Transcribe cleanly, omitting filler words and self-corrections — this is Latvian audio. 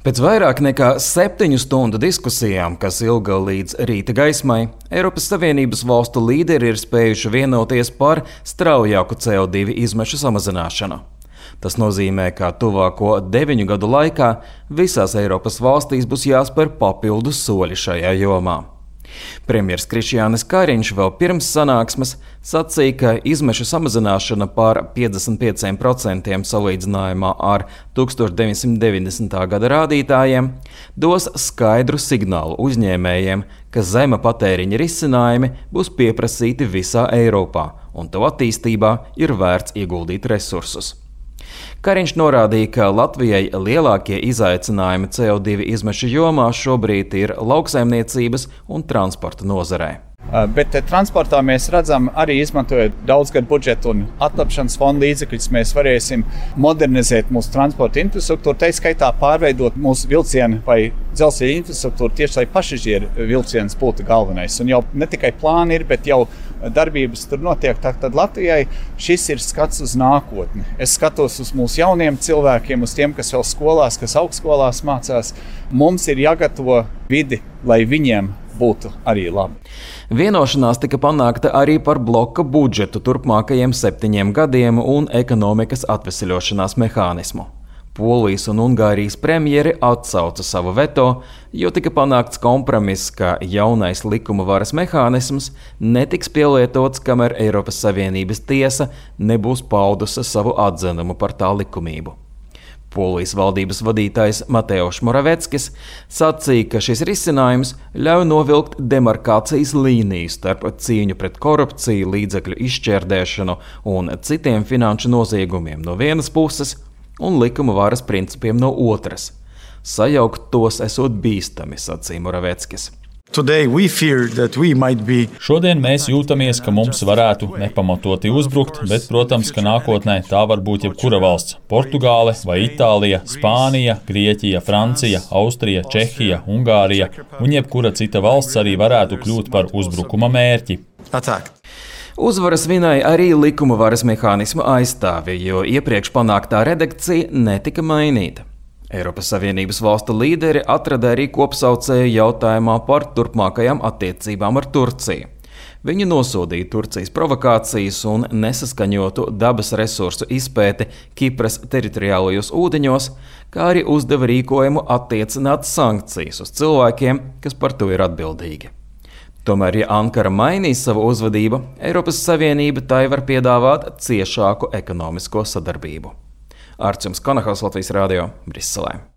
Pēc vairāk nekā 7 stundu diskusijām, kas ilga līdz rīta gaismai, Eiropas Savienības valstu līderi ir spējuši vienoties par straujāku CO2 izmešu samazināšanu. Tas nozīmē, ka tuvāko 9 gadu laikā visās Eiropas valstīs būs jāspēr papildus soļi šajā jomā. Premjers Krišjānis Kariņš vēl pirms sanāksmes sacīja, ka izmešu samazināšana par 55% salīdzinājumā ar 1990. gada rādītājiem dos skaidru signālu uzņēmējiem, ka zema patēriņa risinājumi būs pieprasīti visā Eiropā, un to attīstībā ir vērts ieguldīt resursus. Kariņš norādīja, ka Latvijai lielākie izaicinājumi CO2 izmešu jomā šobrīd ir lauksaimniecības un transporta nozarē. Bet transportā mēs redzam, arī izmantojot daudzgadu budžetu un atlapšanas fonda līdzekļus, mēs varēsim modernizēt mūsu transporta infrastruktūru, tā skaitā pārveidot mūsu vilcienu vai dzelzceļa infrastruktūru tieši, lai pasažieru vilciens būtu galvenais. Un jau ne tikai plāni ir, bet jau darbības tur notiek. Tad Latvijai šis ir skats uz nākotni. Es skatos uz mūsu jauniem cilvēkiem, uz tiem, kas vēl skolās, kas augstskolās mācās. Mums ir jāgatavo vidi, lai viņiem būtu arī labi. Vienošanās tika panākta arī par bloka budžetu turpmākajiem 7 gadiem un ekonomikas atveseļošanās mehānismu. Polijas un Ungārijas premjeri atsauca savu veto, jo tika panākts kompromiss, ka jaunais likuma varas mehānisms netiks pielietots, kamēr Eiropas Savienības tiesa nebūs paudusi savu atzinumu par tā likumību. Polijas valdības vadītājs Mateusz Moraveckis sacīja, ka šis risinājums ļauj novilkt demarkācijas līniju starp cīņu pret korupciju, līdzekļu izšķērdēšanu un citiem finanšu noziegumiem no vienas puses un likuma varas principiem no otras. Sajaukt tos esot bīstami, sacīja Moraveckis. Šodien mēs jūtamies, ka mums varētu nepamatoti uzbrukt, bet, protams, ka nākotnē tā var būt jebkura valsts - Portugāle vai Itālija, Spānija, Grieķija, Francija, Austrija, Čehija, Ungārija un jebkura cita valsts arī varētu kļūt par uzbrukuma mērķi. Uzvaras vinēja arī likuma varas mehānisma aizstāvi, jo iepriekš panāktā redakcija netika mainīta. Eiropas Savienības valstu līderi atrada arī kopsaucēju jautājumā par turpmākajām attiecībām ar Turciju. Viņi nosodīja Turcijas provokācijas un nesaskaņotu dabas resursu izpēti Kipras teritoriālajos ūdeņos, kā arī uzdeva rīkojumu attiecināt sankcijas uz cilvēkiem, kas par to ir atbildīgi. Tomēr, ja Ankara mainīs savu uzvedību, Eiropas Savienība tai var piedāvāt ciešāku ekonomisko sadarbību. Arčuns Konahals, Latvijas radio, Briselē.